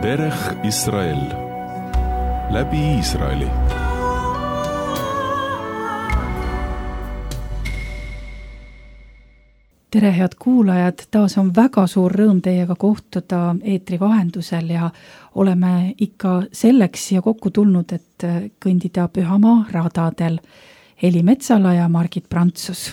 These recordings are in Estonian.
Derech Israel läbi Iisraeli. Tere, head kuulajad, taas on väga suur rõõm teiega kohtuda eetri vahendusel ja oleme ikka selleks siia kokku tulnud, et kõndida Pühamaa radadel. Heli Metsala ja Margit Prantsus.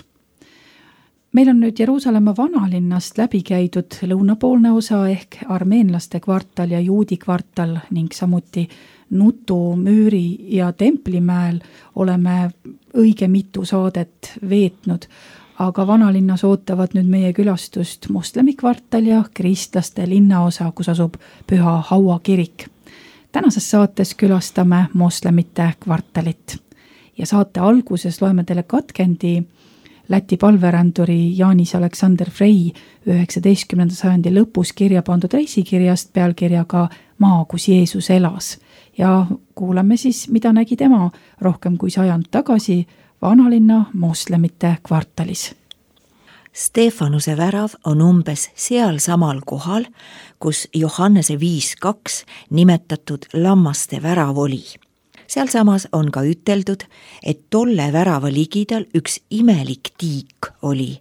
Meil on nüüd Jeruusalemma vanalinnast läbi käidud lõunapoolne osa ehk armeenlaste kvartal ja juudi kvartal ning samuti Nutu, Müüri ja Templimäel oleme õige mitu saadet veetnud, aga vanalinnas ootavad nüüd meie külastust moslemi kvartal ja kristlaste linnaosa, kus asub Püha Haua kirik. Tänases saates külastame moslemite kvartalit ja saate alguses loeme teile katkendi Läti palveränduri Janis Aleksander Frey 19. sajandi lõpus kirja pandud reisikirjast pealkirjaga Maa, kus Jeesus elas. Ja kuulame siis, mida nägi tema rohkem kui sajand tagasi vanalinna moslemite kvartalis. Stefanuse värav on umbes seal samal kohal, kus Johannese 5.2 nimetatud lammaste värav oli. Sealsamas on ka üteldud, et tolle värava ligidal üks imelik tiik oli,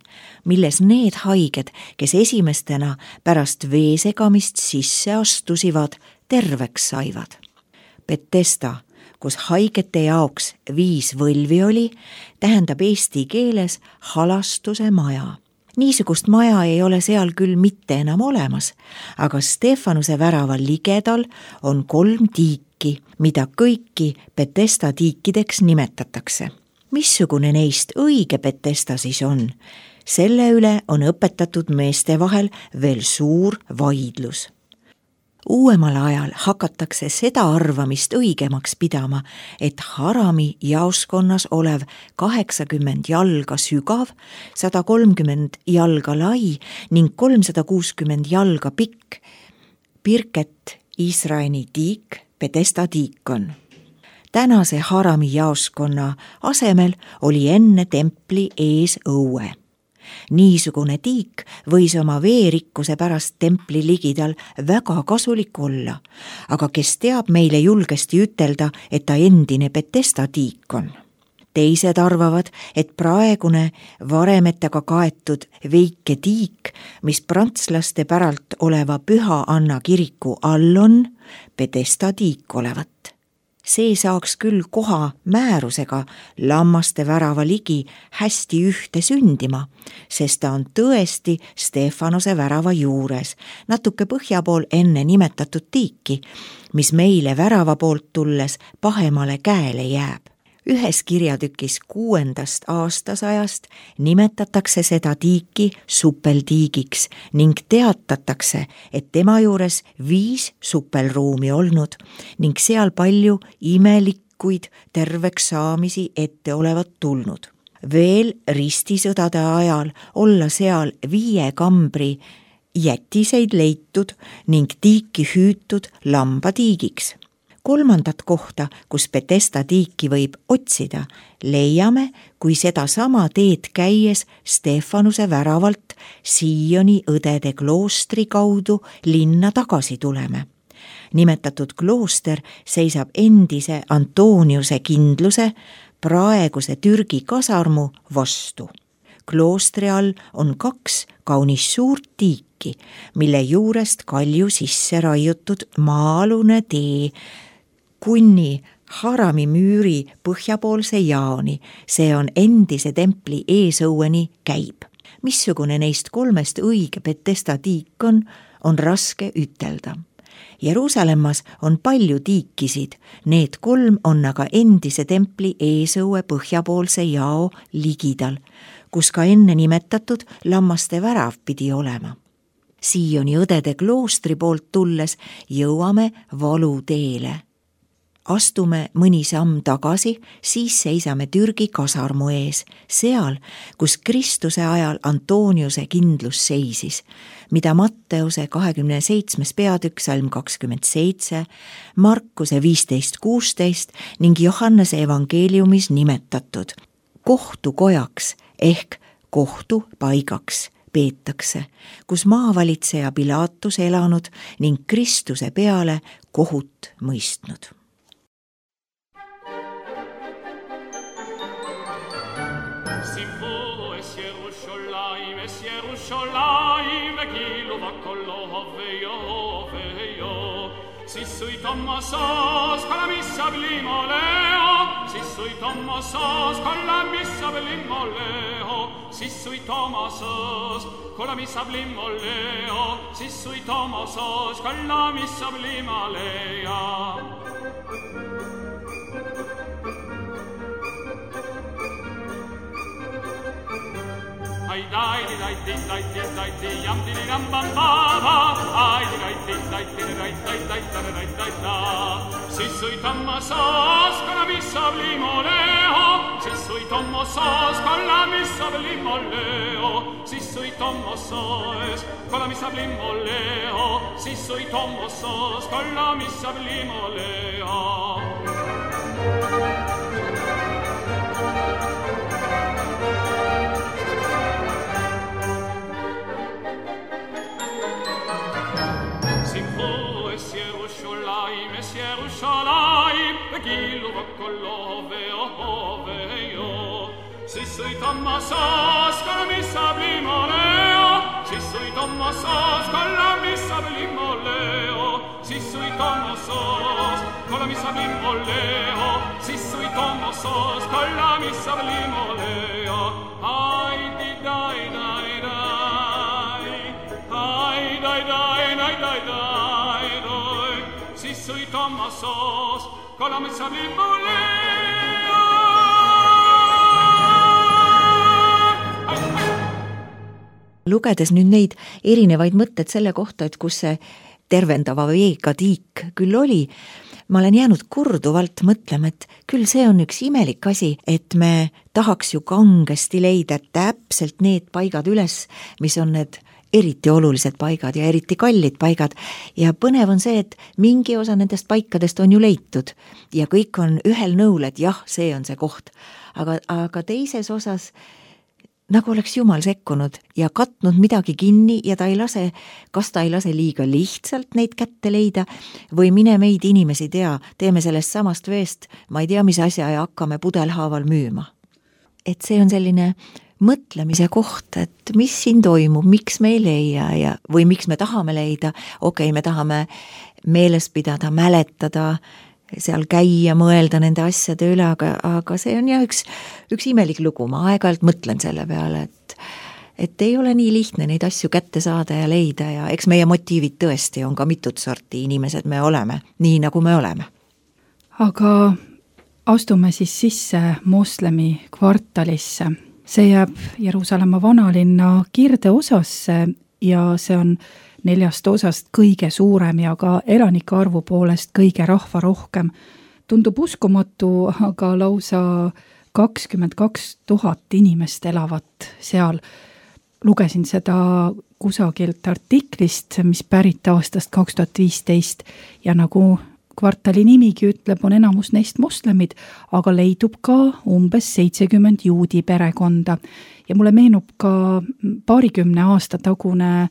milles need haiged, kes esimestena pärast veesegamist sisse astusivad, terveks saivad. Betesta, kus haigete jaoks 5 võlvi oli, tähendab eesti keeles halastuse maja. Niisugust maja ei ole seal küll mitte enam olemas, aga Stefanuse värava ligedal on 3 tiiki, mida kõiki Betesta tiikideks nimetatakse. Missugune neist õige Betesta siis on? Selle üle on õpetatud meeste vahel veel suur vaidlus. Uuemal ajal hakatakse seda arvamist õigemaks pidama, et Harami jaoskonnas olev 80 jalga sügav, 130 jalga lai ning 360 jalga pikk Birket Israeli tiik Betesta tiik on. Tänase Harami jaoskonna asemel oli enne templi ees õue. Niisugune tiik võis oma veerikkuse pärast templi ligidal väga kasulik olla, aga kes teab meile julgesti ütelda, et ta endine Betesta tiik on. Teised arvavad, et praegune varemetega kaetud veike tiik, mis prantslaste päralt oleva Püha Anna kiriku all on, Betesta tiik olevat. See saaks küll koha määrusega lammaste värava ligi hästi ühte sündima, sest ta on tõesti Stefanuse värava juures, natuke põhja pool enne nimetatud tiiki, mis meile värava poolt tulles pahemale käele jääb. Ühes kirjatükis 6. aastasajast nimetatakse seda tiiki suppeltiigiks ning teatatakse, et tema juures 5 suppelruumi olnud ning seal palju imelikuid terveks saamisi ette olevat tulnud. Veel ristisõdade ajal olla seal 5 kambri jätiseid leitud ning tiiki hüütud lambatiigiks. 3. kohta, kus Betesta tiiki võib otsida, leiame, kui seda sama teed käies Stefanuse väravalt Sioni õdede kloostri kaudu linna tagasi tuleme. Nimetatud klooster seisab endise Antoniuse kindluse praeguse Türgi kasarmu vastu. Kloostri all on 2 kaunis suurt tiiki, mille juurest kalju sisse raiutud maa-alune tee kuni Harami müüri põhjapoolse jaoni, see on endise templi eesõueni käib. Missugune neist 3 õige Betesta tiik on raske ütelda. Jeruusalemmas on palju tiikisid, need 3 on aga endise templi eesõue põhjapoolse jao ligidal, kus ka enne nimetatud lammaste värav pidi olema. Sioni õdede kloostri poolt tulles jõuame valuteele. astume mõni samm tagasi, siis seisame Türgi kasarmu ees, seal, kus Kristuse ajal Antoniuse kindlus seisis, mida Matteuse 27. peatükk salm 27, Markuse 15.16 ning Johannese evangeeliumis nimetatud kohtukojaks ehk kohtupaigaks peetakse, kus maavalitseja Pilatus elanud ning Kristuse peale kohut mõistnud. Sissui Tommasos con la missa blimoleo, Sissui Tommasos con la missa blimoleo, Sissui Tommasos con la missa blimoleo, Sissui Tommasos con la missa blimolea. Ai dai dai dai dai dai dai yam di ram bam ba ba ai dai dai dai dai dai dai dai dai da si sui Tommasos con la missa blimoleo si sui Tommasos con la missa blimoleo si sui Tommasos con la missa blimoleo si sui Tommasos con la missa blimoleo. Sissui Tommasos con la missa blimoleo, Sissui Tommasos con la missa blimoleo, Sissui Tommasos con la missa blimoleo, Sissui Tommasos con la missa blimoleo. Ai di dai dai dai, ai dai dai dai dai dai dai, Sissui Tommasos con la missa blimoleo. Lugedes nüüd neid erinevaid mõtted selle kohta, et kus see tervendava veega tiik küll oli, ma olen jäänud korduvalt mõtlema, et küll see on üks imelik asi, et me tahaks ju kangesti leida täpselt need paigad üles, mis on need eriti olulised paigad ja eriti kallid paigad. Ja põnev on see, et mingi osa nendest paikadest on ju leitud ja kõik on ühel nõul, et jah, see on see koht. Aga teises osas nagu oleks Jumal sekkunud ja katnud midagi kinni ja kas ta ei lase liiga lihtsalt neid kätte leida või mine meid inimesi tea, teeme sellest samast veest, ma ei tea, mis asja ja hakkame pudelhaaval müüma. Et see on selline mõtlemise koht, et mis siin toimub, miks me ei leia või miks me tahame leida, okei, me tahame meeles pidada, mäletada, seal käia, mõelda nende asjade üle, aga see on jah üks imelik lugu, ma aeg-ajalt mõtlen selle peale, et ei ole nii lihtne neid asju kätte saada ja leida ja eks meie motiivid tõesti on ka mitut sorti inimesed me oleme, nii nagu me oleme. Aga astume siis sisse moslemi kvartalisse. See jääb Jeruusalemma vanalinna kirdeosasse ja see on 4 osast kõige suurem ja ka elanike arvu poolest kõige rahvarohkem. Tundub uskumatu, aga lausa 22 000 inimest elavat seal. Lugesin seda kusagilt artiklist, mis pärit aastast 2015 ja nagu kvartali nimigi ütleb, on enamus neist moslemid, aga leidub ka umbes 70 juudi perekonda. Ja mulle meenub ka 20 aasta tagune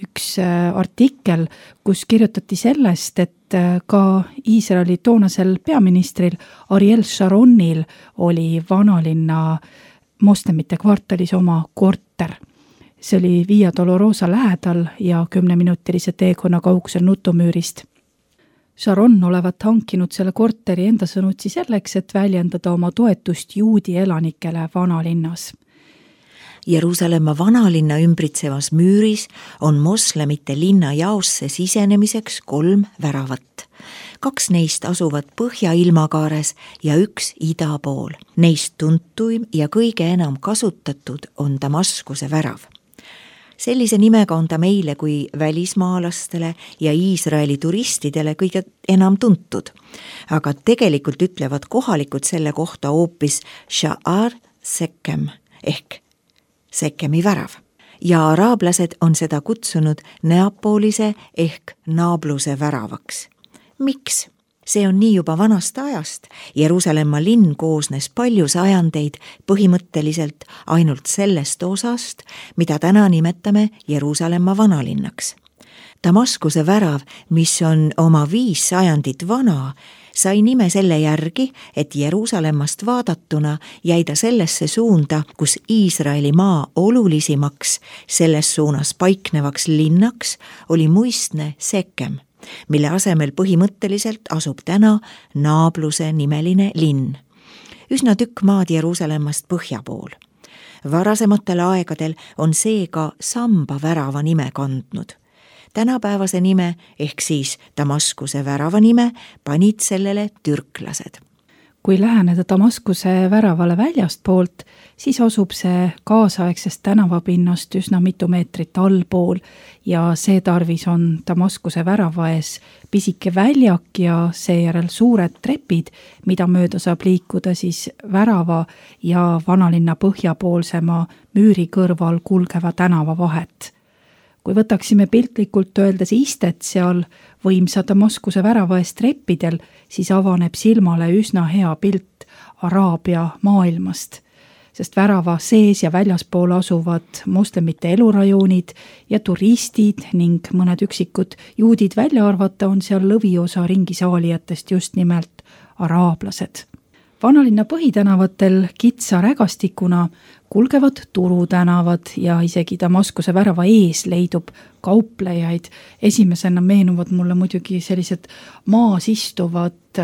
üks artikkel, kus kirjutati sellest, et ka Iisraeli toonasel peaministril Ariel Sharonil oli vanalinna moslemite kvartalis oma korter. See oli Via Dolorosa lähedal ja 10-minutilise teekonna kaugusel Nutumüürist. Sharon olevat hankinud selle korteri enda sõnutsi selleks, et väljendada oma toetust juudi elanikele vanalinnas. Jeruusalemma vanalinna ümbritsevas müüris on moslemite linna jaosse sisenemiseks 3 väravat. 2 neist asuvad põhja-ilmakaares ja 1 ida pool. Neist tuntuim ja kõige enam kasutatud on Damaskuse värav. Sellise nimega on ta meile kui välismaalastele ja Iisraeli turistidele kõige enam tuntud. Aga tegelikult ütlevad kohalikud selle kohta hoopis Sha'ar Sekhem ehk Sekhemi värav. Ja araablased on seda kutsunud Neapolise ehk naabluse väravaks. Miks? See on nii juba vanast ajast. Jeruusalemma linn koosnes palju sajandeid põhimõtteliselt ainult sellest osast, mida täna nimetame Jeruusalemma vanalinnaks. Damaskuse värav, mis on oma 5 sajandit vana, sai nime selle järgi, et Jeruusalemmast vaadatuna jäi ta sellesse suunda, kus Iisraeli maa olulisimaks selles suunas paiknevaks linnaks oli muistne Sekhem, mille asemel põhimõtteliselt asub täna naabluse nimeline linn. Üsna tükk maad Jeruusalemmast põhja pool. Varasematel aegadel on see ka Samba värava nime kandnud. Tänapäevase nime ehk siis Damaskuse värava nime panid sellele türklased. Kui läheneda Damaskuse väravale väljast poolt, siis asub see kaasaegsest tänavapinnast üsna mitu meetrit allpool ja see tarvis on Damaskuse värava ees pisike väljak ja seejärel suured trepid, mida mööda saab liikuda siis värava ja vanalinna põhjapoolsema müüri kõrval kulgeva tänava vahet. Kui võtaksime piltlikult öeldes istet seal võimsa Damaskuse värava eest treppidel, siis avaneb silmale üsna hea pilt Araabia maailmast, sest värava sees ja väljaspool asuvad moslemite elurajoonid ja turistid ning mõned üksikud juudid välja arvata on seal lõviosa ringisaalijatest just nimelt araablased. Vanalinna põhitänavatel kitsa rägastikuna kulgevad turutänavad ja isegi Damaskuse värava ees leidub kauplejaid. Esimesena meenuvad mulle muidugi sellised maas istuvad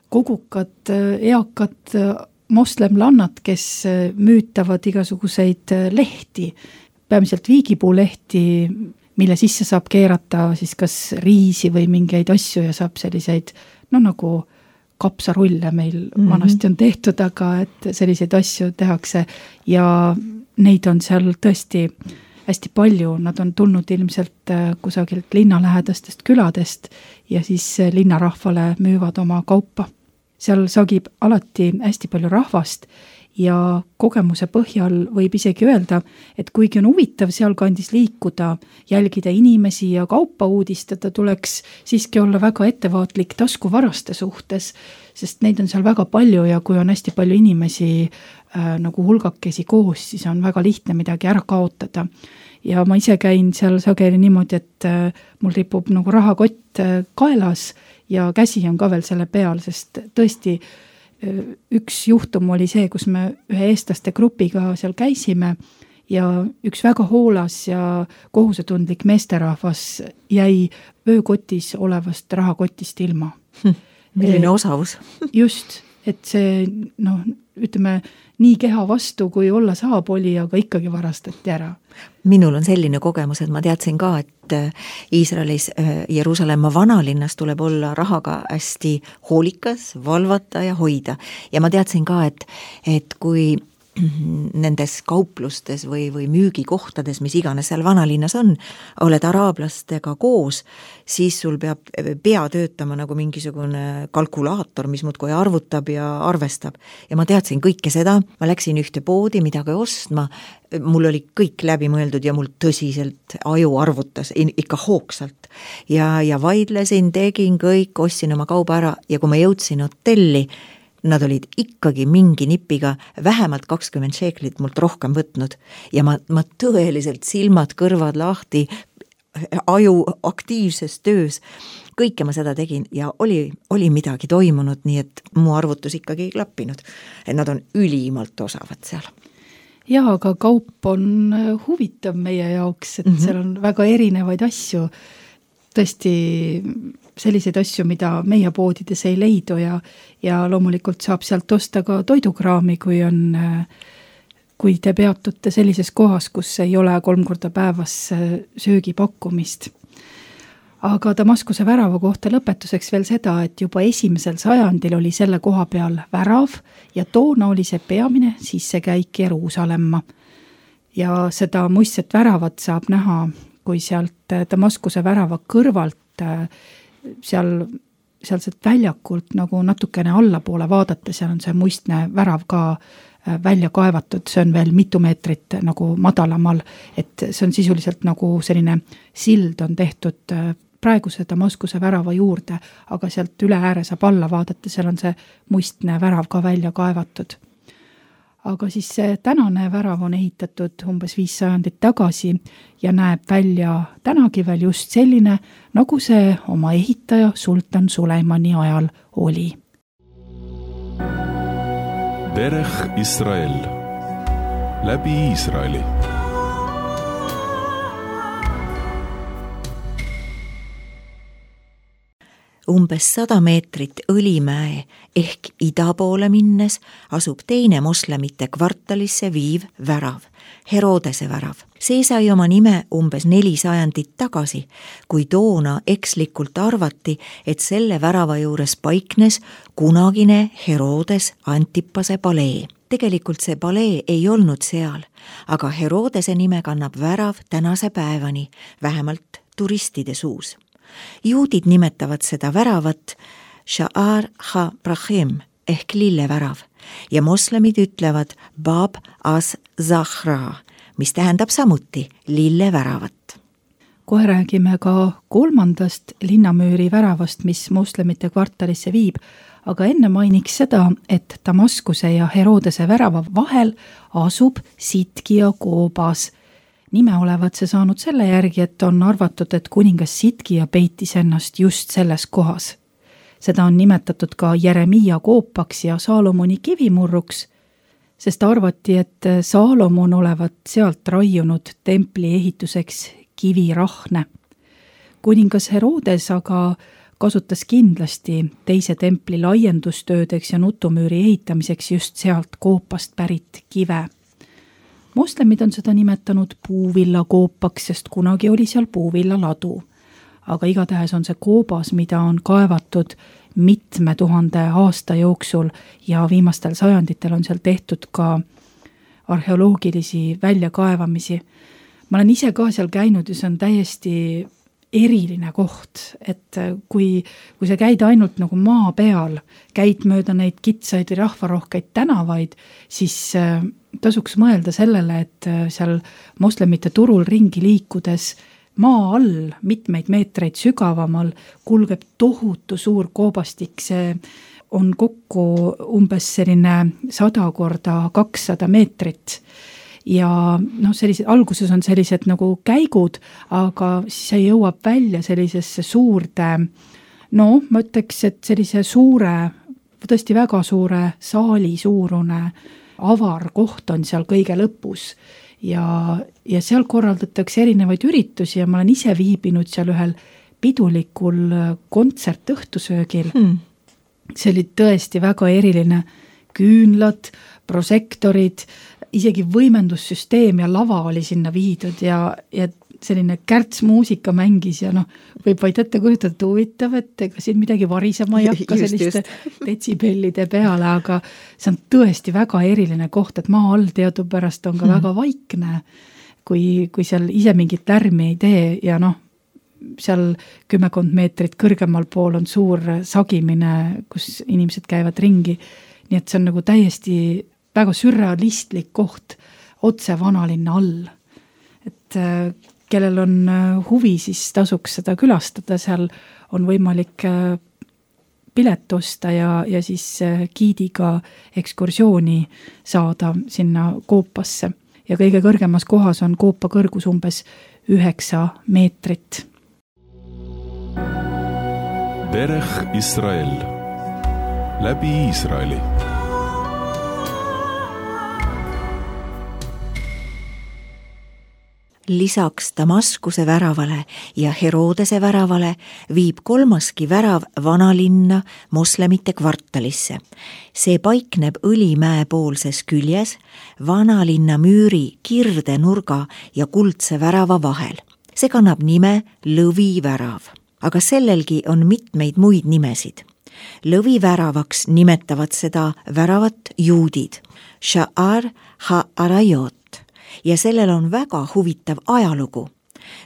kogukad, eakad moslemlannad, kes müütavad igasuguseid lehti, peamiselt viigipuulehti, mille sisse saab keerata siis kas riisi või mingeid asju ja saab selliseid, nagu kapsarulle meil vanasti on tehtud, aga et selliseid asju tehakse ja neid on seal tõesti hästi palju. Nad on tulnud ilmselt kusagilt linnalähedastest küladest ja siis linnarahvale müüvad oma kaupa. Seal sagib alati hästi palju rahvast ja kogemuse põhjal võib isegi öelda, et kuigi on huvitav sealkandis liikuda, jälgida inimesi ja kaupa uudistada, tuleks siiski olla väga ettevaatlik taskuvaraste suhtes, sest neid on seal väga palju ja kui on hästi palju inimesi nagu hulgakesi koos, siis on väga lihtne midagi ära kaotada. Ja ma ise käin seal sageli niimoodi, et mul ripub nagu rahakott kaelas ja käsi on ka veel selle peal, sest tõesti üks juhtum oli see, kus me ühe eestlaste grupiga seal käisime ja üks väga hoolas ja kohusetundlik meesterahvas jäi öökotis olevast rahakotist ilma. Milline osavus? Just, et see, ütleme, nii keha vastu, kui olla saab oli, aga ikkagi varastati ära. Minul on selline kogemus, et ma teadsin ka, et Iisraelis Jeruusalemma vanalinnas tuleb olla rahaga hästi hoolikas, valvata ja hoida. Ja ma teadsin ka, et kui nendes kauplustes või müügikohtades, mis iganes seal vanalinnas on, oled araablastega koos, siis sul peab pea töötama nagu mingisugune kalkulaator, mis muudkui arvutab ja arvestab. Ja ma teadsin kõike seda, ma läksin ühte poodi midagi ostma, mul oli kõik läbi mõeldud ja mul tõsiselt aju arvutas ikka hoogsalt. Ja vaidlesin, tegin kõik, ostsin oma kauba ära ja kui ma jõudsin hotelli, nad olid ikkagi mingi nipiga vähemalt 20 šeeklit mult rohkem võtnud ja ma tõeliselt silmad, kõrvad lahti, aju aktiivses töös, kõike ma seda tegin ja oli midagi toimunud, nii et mu arvutus ikkagi ei klappinud. Et nad on ülimalt osavad seal. Jaa, aga kaup on huvitav meie jaoks, et seal on väga erinevaid asju, tõesti selliseid asju, mida meie poodides ei leidu ja loomulikult saab sealt osta ka toidukraami, kui te peatute sellises kohas, kus ei ole 3 korda päevas söögipakkumist. Aga Damaskuse värava kohta lõpetuseks veel seda, et juba 1. sajandil oli selle koha peal värav ja toona oli see peamine sissekäik Jeruusalemma. ja seda muistset väravat saab näha, kui sealt Damaskuse värava kõrvalt sealselt väljakult nagu natukene allapoole vaadata, seal on see muistne värav ka välja kaevatud, see on veel mitu meetrit nagu madalamal, et see on sisuliselt nagu selline sild on tehtud praeguse Damaskuse värava juurde, aga sealt üle ääre saab alla vaadata, seal on see muistne värav ka välja kaevatud. Aga siis see tänane värav on ehitatud umbes 5 sajandit tagasi ja näeb välja tänagi veel just selline, nagu see oma ehitaja Sultan Suleimani ajal oli. Derech Israel. Läbi Iisraeli. Umbes 100 meetrit Õlimäe ehk ida poole minnes asub teine moslemite kvartalisse viiv värav, Herodese värav. See sai oma nime umbes 4 sajandit tagasi, kui toona ekslikult arvati, et selle värava juures paiknes kunagine Herodes Antipase palee. Tegelikult see palee ei olnud seal, aga Herodese nime kannab värav tänase päevani, vähemalt turistide suus. Juudid nimetavad seda väravat Sha'ar ha-Brahim ehk lillevärav ja moslemid ütlevad Bab az-Zahra, mis tähendab samuti lilleväravat. Kohe räägime ka 3. linnamüüri väravast, mis moslemite kvartalisse viib, aga enne mainiks seda, et Damaskuse ja Herodese värava vahel asub Sitkia koobas. Nime olevat see saanud selle järgi, et on arvatud, et kuningas Sitkia peitis ennast just selles kohas. Seda on nimetatud ka Jeremiia koopaks ja Saalomoni kivimurruks, sest arvati, et Saalomon olevat sealt raiunud templi ehituseks kivirahne. Kuningas Herodes aga kasutas kindlasti teise templi laiendustöödeks ja nutumüüri ehitamiseks just sealt koopast pärit kive. Moslemid on seda nimetanud puuvilla koopaks, sest kunagi oli seal puuvilla ladu. Aga igatahes on see koobas, mida on kaevatud mitme 1000 aasta jooksul ja viimastel sajanditel on seal tehtud ka arheoloogilisi väljakaevamisi. Ma olen ise ka seal käinud ja see on täiesti eriline koht, et kui sa käid ainult nagu maa peal, käid mööda neid kitsaid või rahvarohkeid tänavaid, siis tasuks mõelda sellele, et seal moslemite turul ringi liikudes maa all mitmeid meetreid sügavamal kulgeb tohutu suur koobastik, see on kokku umbes selline 100 korda 200 meetrit. Ja alguses on sellised nagu käigud, aga siis see jõuab välja sellisesse suurde, ma ütleks, et sellise suure, tõesti väga suure saali suurune avar koht on seal kõige lõpus ja seal korraldatakse erinevaid üritusi ja ma olen ise viibinud seal ühel pidulikul kontsertõhtusöögil. See oli tõesti väga eriline, küünlad, prožektorid, isegi võimendussüsteem ja lava oli sinna viidud ja selline kärtsmuusika mängis ja võib vaid ette kujutada huvitav, et ega siin midagi varisema ei hakka selliste detsibellide peale, aga see on tõesti väga eriline koht, et maa all teadupärast on ka väga vaikne, kui seal ise mingit lärmi ei tee ja seal 10 meetrit kõrgemal pool on suur sagimine, kus inimesed käivad ringi, nii et see on nagu täiesti väga sürrealistlik koht otse vanalinna all. Et kellel on huvi, siis tasuks seda külastada, seal on võimalik pilet osta ja siis giidiga ekskursiooni saada sinna koopasse. Ja kõige kõrgemas kohas on koopa kõrgus umbes 9 meetrit. Derech Israel. Läbi Iisraeli. Lisaks Damaskuse väravale ja Herodese väravale viib 3. värav vanalinna moslemite kvartalisse. See paikneb Õlimäe poolses küljes vanalinna müüri kirdenurga ja kuldse värava vahel. See kannab nime Lõvivärav, aga sellelgi on mitmeid muid nimesid. Lõviväravaks nimetavad seda väravat juudid, Sha'ar ha-Arayot, ja sellel on väga huvitav ajalugu.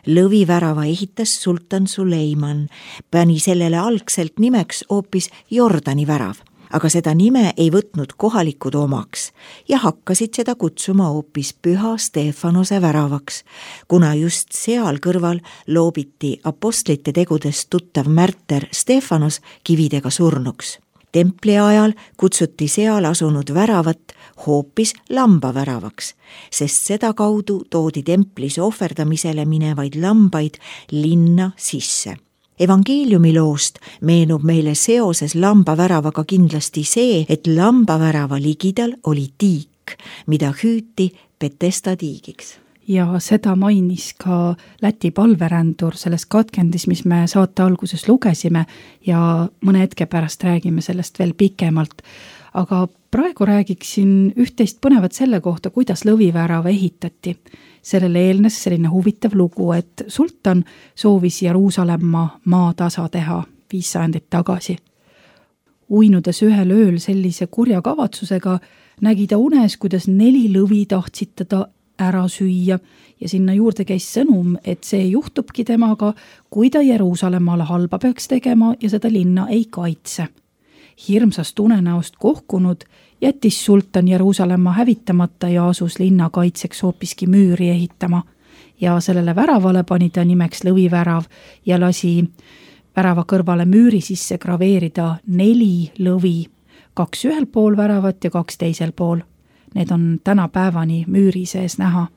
Lõvivärava ehitas sultan Suleiman, pani sellele algselt nimeks hoopis Jordani värav, aga seda nime ei võtnud kohalikud omaks ja hakkasid seda kutsuma hoopis Püha Stefanuse väravaks, kuna just seal kõrval loobiti apostlite tegudest tuttav märter Stefanus kividega surnuks. Templi ajal kutsuti seal asunud väravat hoopis lambaväravaks, sest seda kaudu toodi templis ohverdamisele minevaid lambaid linna sisse. Evangeeliumi loost meenub meile seoses lambaväravaga kindlasti see, et lambavärava ligidal oli tiik, mida hüüti Betesda tiigiks. Ja seda mainis ka Läti palverändur selles katkendis, mis me saate alguses lugesime ja mõne hetke pärast räägime sellest veel pikemalt. Aga praegu räägiksin üht-teist põnevat selle kohta, kuidas lõvivärava ehitati. Sellele eelnes selline huvitav lugu, et sultan soovis Jeruusalemma maatasa teha 5 sajandit tagasi. Uinudes ühel ööl sellise kurja kavatsusega, nägi ta unes, kuidas 4 lõvi tahtsid teda ära süüa ja sinna juurde käis sõnum, et see juhtubki temaga, kui ta Jeruusalemmale halba peaks tegema ja seda linna ei kaitse. Hirmsast unenäost kohkunud jättis sultan Jeruusalemma hävitamata ja asus linna kaitseks hoopiski müüri ehitama ja sellele väravale pani ta nimeks lõvivärav ja lasi värava kõrvale müüri sisse graveerida 4 lõvi, 2 ühel pool väravat ja 2 teisel pool. Need on tänapäevani müüri sees näha.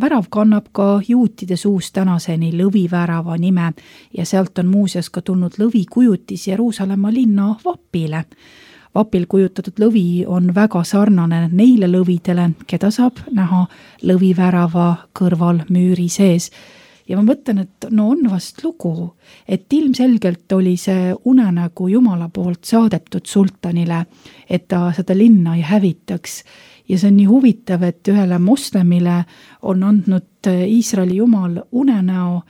Värav kannab ka juutide suust tänaseni lõvivärava nime ja sealt on muuseas ka tulnud lõvikujutis Jeruusalemma linna vapile. Vapil kujutatud lõvi on väga sarnane neile lõvidele, keda saab näha lõvivärava kõrval müüri sees. Ja ma mõtlen, et no on vast lugu, et ilmselgelt oli see unenägu Jumala poolt saadetud sultanile, et ta seda linna ei hävitaks. Ja see on nii huvitav, et ühele moslemile on andnud Iisraeli Jumal unenäo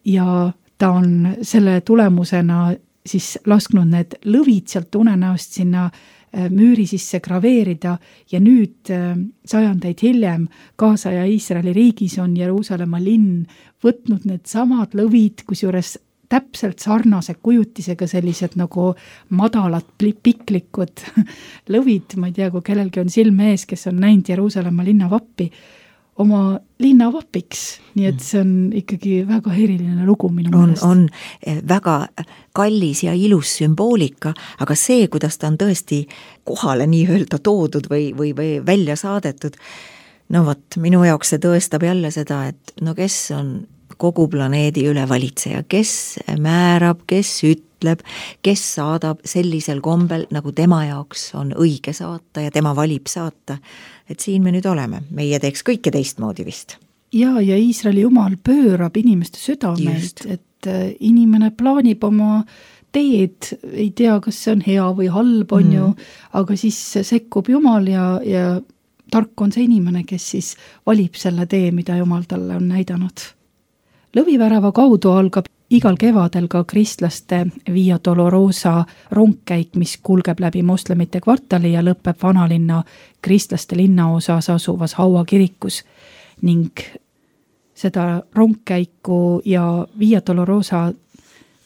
ja ta on selle tulemusena siis lasknud need lõvid sealt unenäost sinna müüri sisse graveerida ja nüüd sajandeid hiljem kaasaja Iisraeli riigis on Jeruusalemma linn võtnud need samad lõvid, kusjuures täpselt sarnase kujutisega sellised nagu madalad piklikud lõvid, ma ei tea, kui kellelgi on silme ees, kes on näinud Jeruusalemma linnavappi, oma linnavapiks, nii et see on ikkagi väga eriline lugu minu meelest. On väga kallis ja ilus sümboolika, aga see, kuidas ta on tõesti kohale nii-öelda toodud või välja saadetud, no vot, minu jaoks see tõestab jälle seda, et no kes on kogu planeedi üle valitseja, kes määrab, kes ütleb, kes saadab sellisel kombel, nagu tema jaoks on õige saata ja tema valib saata. Et siin me nüüd oleme, meie teeks kõike teistmoodi vist. Ja Iisraeli Jumal pöörab inimeste südameid, et inimene plaanib oma teed, ei tea, kas see on hea või halb on ju, aga siis sekkub Jumal ja tark on see inimene, kes siis valib selle tee, mida Jumal talle on näidanud. Lõvivärava kaudu algab igal kevadel ka kristlaste Via Dolorosa rongkäik, mis kulgeb läbi moslemite kvartali ja lõpeb vanalinna kristlaste linnaosas asuvas Haua kirikus ning seda rongkäiku ja Via Dolorosa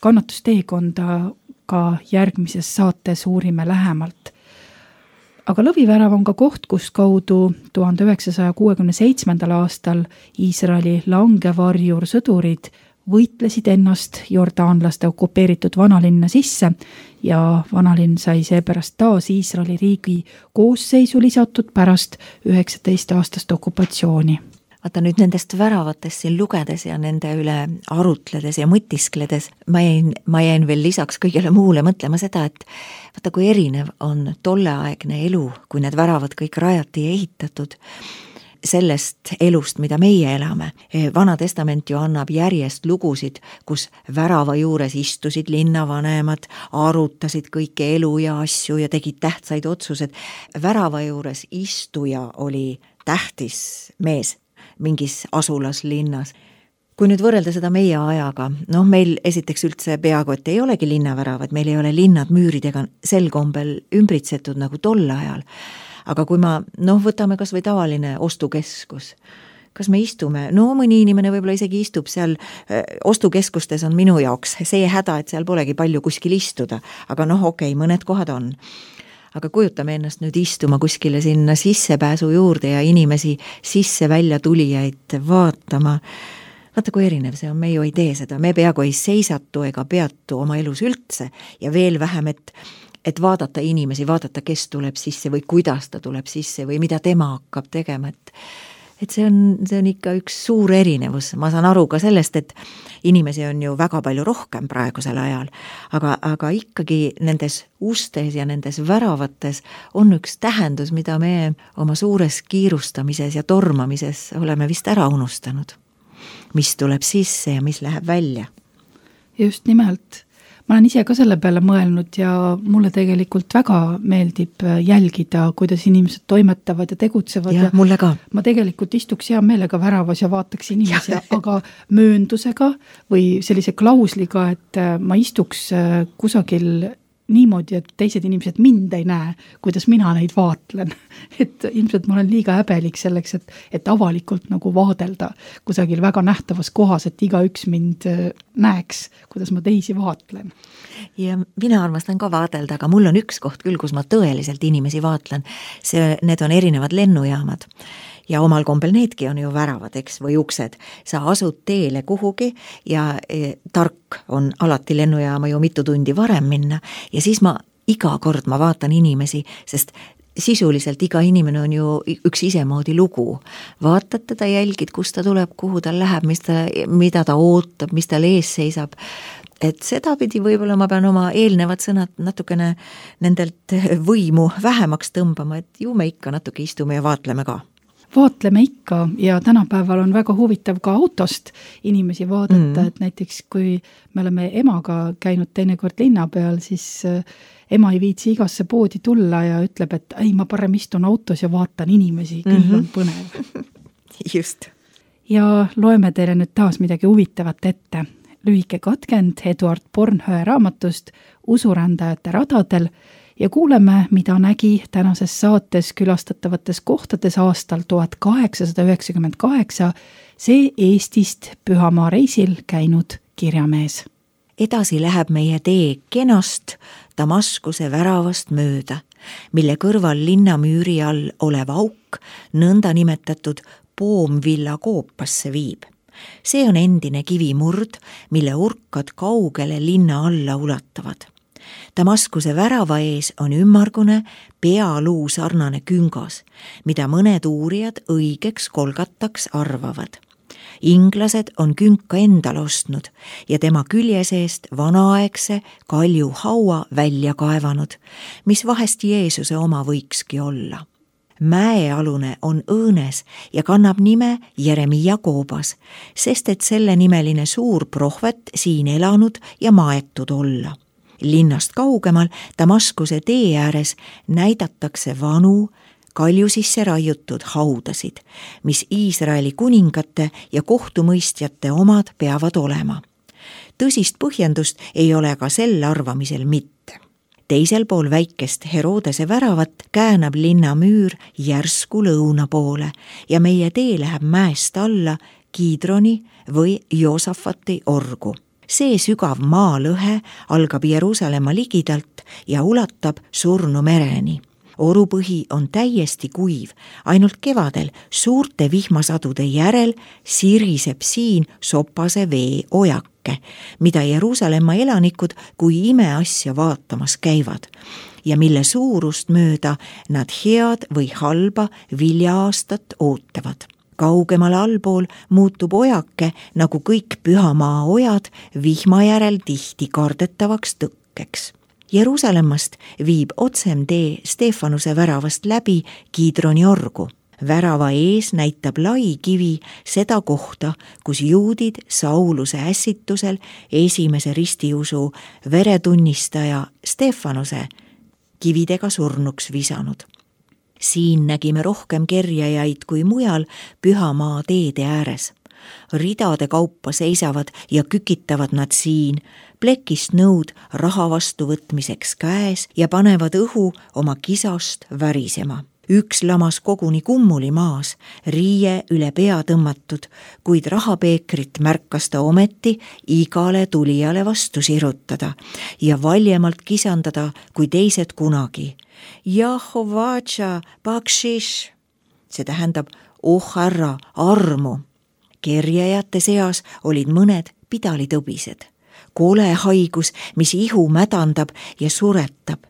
kannatusteekonda ka järgmises saates uurime lähemalt. Aga lõvivärav on ka koht, kus kaudu 1967. aastal Iisraeli langevarjur sõdurid võitlesid ennast jordaanlaste okupeeritud vanalinna sisse ja vanalinn sai seepärast taas Iisraeli riigi koosseisu lisatud pärast 19 aastast okupatsiooni. Vaata nüüd nendest väravatest siin lugedes ja nende üle arutledes ja mõtiskledes, ma jäin veel lisaks kõigele muule mõtlema seda, et vaata kui erinev on tolleaegne elu, kui need väravad kõik rajati ja ehitatud sellest elust, mida meie elame. Vana testament ju annab järjest lugusid, kus värava juures istusid linnavanemad, arutasid kõike elu ja asju ja tegid tähtsaid otsused. Värava juures istuja oli tähtis mees mingis asulas linnas. Kui nüüd võrrelda seda meie ajaga, meil esiteks üldse peaaegu, et ei olegi linnaväravad, meil ei ole linnad müüridega sel kombel ümbritsetud nagu tol ajal, aga kui ma, võtame kas või tavaline ostukeskus, kas me istume, mõni inimene võib-olla isegi istub seal, ostukeskustes on minu jaoks see häda, et seal polegi palju kuskil istuda, aga okei, mõned kohad on. Aga kujutame ennast nüüd istuma kuskile sinna sissepääsu juurde ja inimesi sisse-välja tulijaid vaatama. Vaata, kui erinev see on, me ju ei tee seda, me peaaegu ei seisatu ega peatu oma elus üldse ja veel vähem, et vaadata inimesi, vaadata, kes tuleb sisse või kuidas ta tuleb sisse või mida tema hakkab tegema, et see on ikka üks suur erinevus. Ma saan aru ka sellest, et inimesi on ju väga palju rohkem praegusel ajal, aga ikkagi nendes ustes ja nendes väravates on üks tähendus, mida me oma suures kiirustamises ja tormamises oleme vist ära unustanud. Mis tuleb sisse ja mis läheb välja. Just nimelt. Ma olen ise ka selle peale mõelnud ja mulle tegelikult väga meeldib jälgida, kuidas inimesed toimetavad ja tegutsevad. Ja mulle ka. Ma tegelikult istuks hea meelega väravas ja vaataks inimesi, aga mööndusega või sellise klausliga, et ma istuks kusagil niimoodi, et teised inimesed mind ei näe, kuidas mina neid vaatlen. Et ilmselt ma olen liiga häbelik selleks, et avalikult nagu vaadelda kusagil väga nähtavas kohas, et igaüks mind näeks, kuidas ma teisi vaatlen. Ja mina armastan ka vaadelda, aga mul on üks koht küll, kus ma tõeliselt inimesi vaatlen. Need on erinevad lennujaamad. Ja omal kombel needki on ju väravad, eks, või uksed. Sa asud teele kuhugi ja tark on alati lennujaama ju mitu tundi varem minna ja siis iga kord ma vaatan inimesi, sest sisuliselt iga inimene on ju üks isemoodi lugu. Vaatad teda, jälgid, kus ta tuleb, kuhu ta läheb, mida ta ootab, mis tal ees seisab. Et seda pidi võib-olla ma pean oma eelnevad sõnad natukene nendelt võimu vähemaks tõmbama, et ju me ikka natuke istume ja vaatleme ka. Vaatleme ikka ja tänapäeval on väga huvitav ka autost inimesi vaadata, et näiteks kui me oleme emaga käinud teinekord linna peal, siis ema ei viitsi igasse poodi tulla ja ütleb, et ei, ma parem istun autos ja vaatan inimesi, küll on põnev. Just. Ja loeme teile nüüd taas midagi huvitavat ette. Lühike katkend Eduard Bornhöhe raamatust Usurändajate radadel ja kuuleme, mida nägi tänases saates külastatavates kohtades aastal 1898 see Eestist Pühamaa reisil käinud kirjamees. Edasi läheb meie tee kenast Damaskuse väravast mööda, mille kõrval linnamüüri all olev auk nõnda nimetatud Poomvilla koopasse viib. See on endine kivimurd, mille urkad kaugele linna alla ulatavad. Damaskuse värava ees on ümmargune pealuu sarnane küngas, mida mõned uurijad õigeks kolgataks arvavad. Inglased on künka endal ostnud ja tema külje seest vanaaegse kalju haua välja kaevanud, mis vahest Jeesuse oma võikski olla. Mäealune on õõnes ja kannab nime Jeremia koobas, sest et selle nimeline suur prohvet siin elanud ja maetud olla. Linnast kaugemal Damaskuse tee ääres näidatakse vanu, kalju sisse raiutud haudasid, mis Iisraeli kuningate ja kohtumõistjate omad peavad olema. Tõsist põhjendust ei ole ka sel arvamisel mitte. Teisel pool väikest Herodese väravat käänab linnamüür järsku lõuna poole ja meie tee läheb mäest alla Kidroni või Joosafati orgu. See sügav maalõhe algab Jeruusalemma ligidalt ja ulatab Surnu mereni. Orupõhi on täiesti kuiv, ainult kevadel suurte vihmasadude järel siriseb siin sopase vee ojake, mida Jeruusalemma elanikud kui imeasja vaatamas käivad ja mille suurust mööda nad head või halba viljaaastat ootavad. Kaugemal allpool muutub ojake, nagu kõik Pühamaa ojad, vihma järel tihti kardetavaks tõkkeks. Jeruusalemmast viib otsem tee Stefanuse väravast läbi Kidroni orgu. Värava ees näitab lai kivi seda kohta, kus juudid Sauluse ässitusel esimese ristiusu veretunnistaja Stefanuse kividega surnuks visanud. Siin nägime rohkem kerjajaid kui mujal Pühamaa teede ääres. Ridade kaupa seisavad ja kükitavad nad siin, plekist nõud raha vastu võtmiseks käes ja panevad õhu oma kisast värisema. Üks lamas koguni kummuli maas, riie üle pea tõmmatud, kuid rahapeekrit märkas ta ometi igale tulijale vastu sirutada ja valjemalt kisandada kui teised kunagi. Jahovatša, bakshish, see tähendab härra, armu. Kerjajate seas olid mõned pidalitõbised. Kole haigus, mis ihu mädandab ja suretab,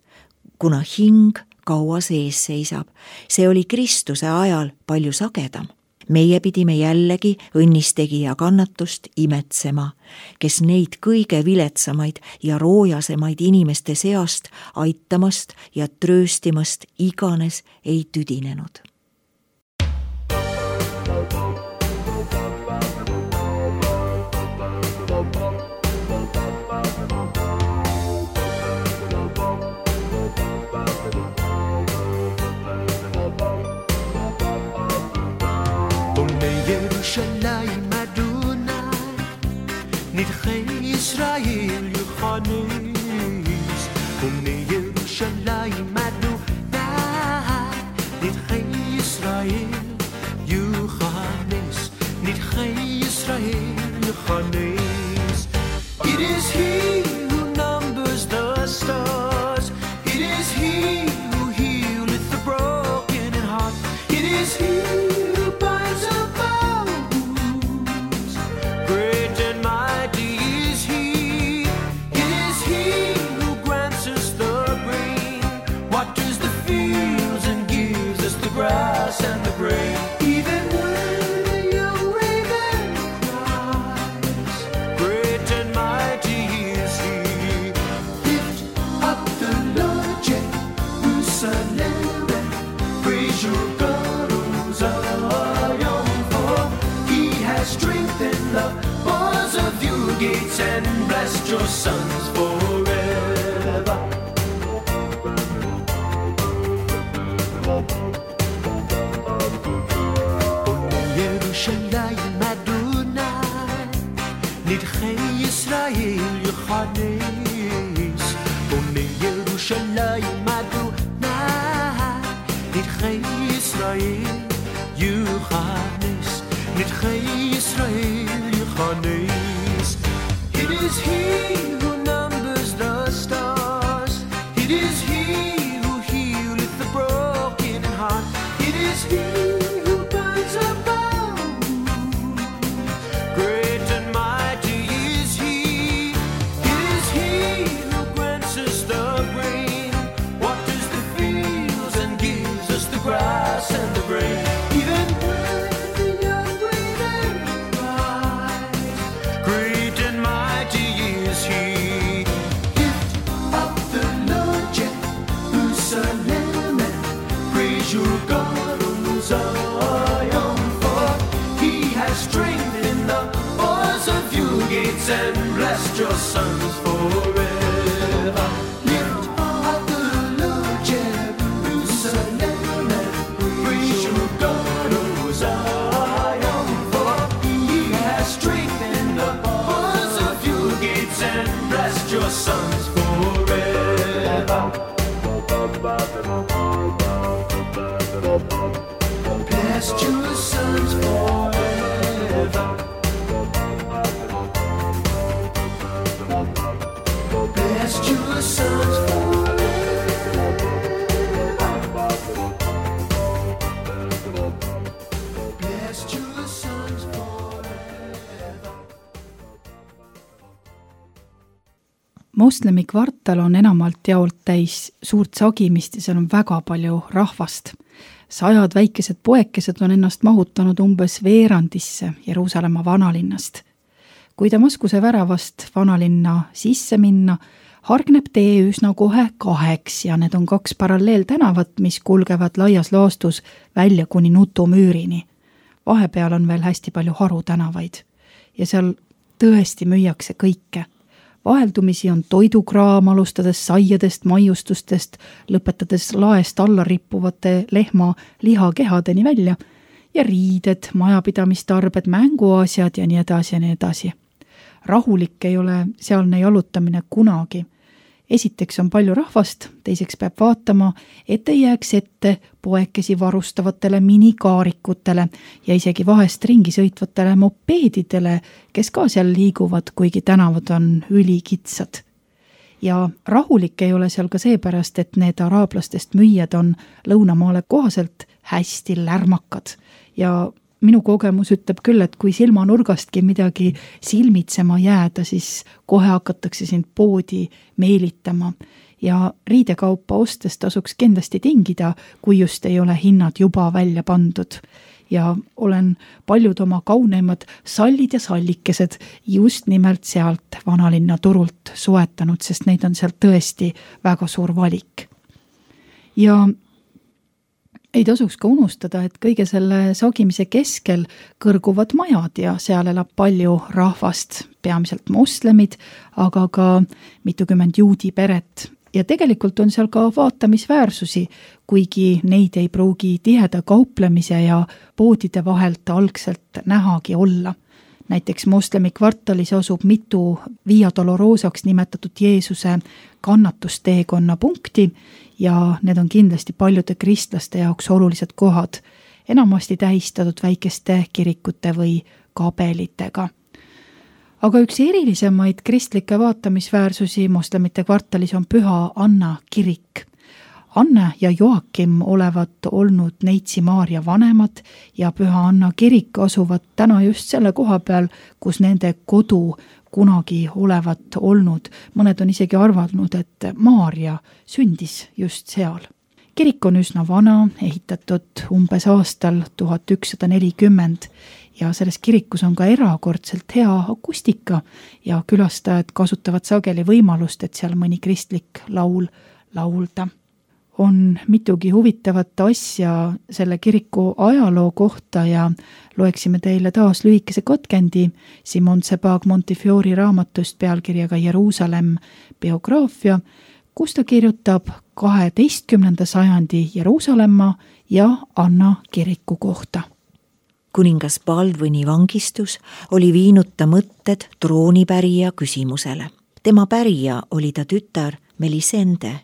kuna hing kaua sees seisab. See oli Kristuse ajal palju sagedam. Meie pidime jällegi õnnistegija kannatust imetsema, kes neid kõige viletsamaid ja roojasemaid inimeste seast aitamast ja trööstimast iganes ei tüdinenud. ירושלים אדוני, נדחי ישראל יוכנס. בני ירושלים אדוני, נדחי ישראל יוכנס. נדחי ישראל יוכנס. It is he who numbers the stars. It is he who healeth the broken in heart. It is he who binds up and the grain. Even when the young raven cries, great and mighty is he. Lift up the Lord Jerusalem and praise your God, O Zion, for he has strengthened the bars of your gates and blessed your sons forever. ירושלים אדוני, נדחי ישראל יוכנס. בני ירושלים אדוני, נדחי ישראל יוכנס. נדחי ישראל יוכנס. It is he who numbers the stars. It is he who healeth the broken in heart. It is he who binds up grass and the grain. Even when the young raven cries, great and mighty is he. Lift up the Lord Jerusalem and praise your God, O Zion, for he has strengthened the bars of your gates and blessed your sons forever. Your sons forever. Bless your sons forever. Bless your sons forever. Bless your sons forever. Moslemi kvartal on enamalt jaolt täis suurt sagimist ja seal on väga palju rahvast. 100 väikesed poekesed on ennast mahutanud umbes veerandisse Jeruusalemma vanalinnast. Kui Damaskuse väravast vanalinna sisse minna, hargneb tee üsna kohe 2 ja need on 2 paralleeltänavat, mis kulgevad laias laastus välja kuni Nutumüürini. Vahepeal on veel hästi palju harutänavaid ja seal tõesti müüakse kõike. Vaheldumisi on toidukraam, alustades saiadest, maiustustest, lõpetades laest alla rippuvate lehma lihakehadeni välja ja riided, majapidamistarbed, mänguasjad ja nii edasi ja nii edasi. Rahulik ei ole sealne jalutamine kunagi esiteks on palju rahvast, teiseks peab vaatama, et ei jääks ette poekesi varustavatele minikaarikutele ja isegi vahest ringi sõitvatele mopeedidele, kes ka seal liiguvad, kuigi tänavad on ülikitsad. Ja rahulik ei ole seal ka seepärast, et need araablastest müüjad on lõunamaale kohaselt hästi lärmakad ja minu kogemus ütleb küll, et kui silmanurgastki midagi silmitsema jääda, siis kohe hakatakse sind poodi meelitama ja riidekaupa ostes tasuks kindlasti tingida, kui just ei ole hinnad juba välja pandud. Ja olen paljud oma kauneimad sallid ja sallikesed just nimelt sealt vanalinna turult soetanud, sest neid on sealt tõesti väga suur valik. Ja ei tasuks ka unustada, et kõige selle sagimise keskel kõrguvad majad ja seal elab palju rahvast, peamiselt moslemid, aga ka mitukümmend juudi peret. Ja tegelikult on seal ka vaatamisväärsusi, kuigi neid ei pruugi tiheda kauplemise ja poodide vahelt algselt nähagi olla. Näiteks moslemi kvartalis asub mitu Via Dolorosaks nimetatud Jeesuse kannatusteekonna punkti ja need on kindlasti paljude kristlaste jaoks olulised kohad, enamasti tähistatud väikeste kirikute või kabelitega. Aga üks erilisemaid kristlikke vaatamisväärsusi moslemite kvartalis on Püha Anna kirik. Anne ja Joakim olevat olnud Neitsi Maarja vanemad ja Püha Anna kirik asuvad täna just selle koha peal, kus nende kodu kunagi olevat olnud. Mõned on isegi arvanud, et Maarja sündis just seal. Kirik on üsna vana, ehitatud umbes aastal 1140 ja selles kirikus on ka erakordselt hea akustika ja külastajad kasutavad sageli võimalust, et seal mõni kristlik laul laulda. On mitugi huvitavat asja selle kiriku ajaloo kohta ja loeksime teile taas lühikese katkendi Simon Sebag Montefiori raamatust pealkirjaga Jeruusalemm biograafia, kus ta kirjutab 12. sajandi Jeruusalemma ja Anna kiriku kohta. Kuningas Baldwini vangistus oli viinud ta mõtted troonipärija küsimusele. Tema pärija oli ta tütar Melisende,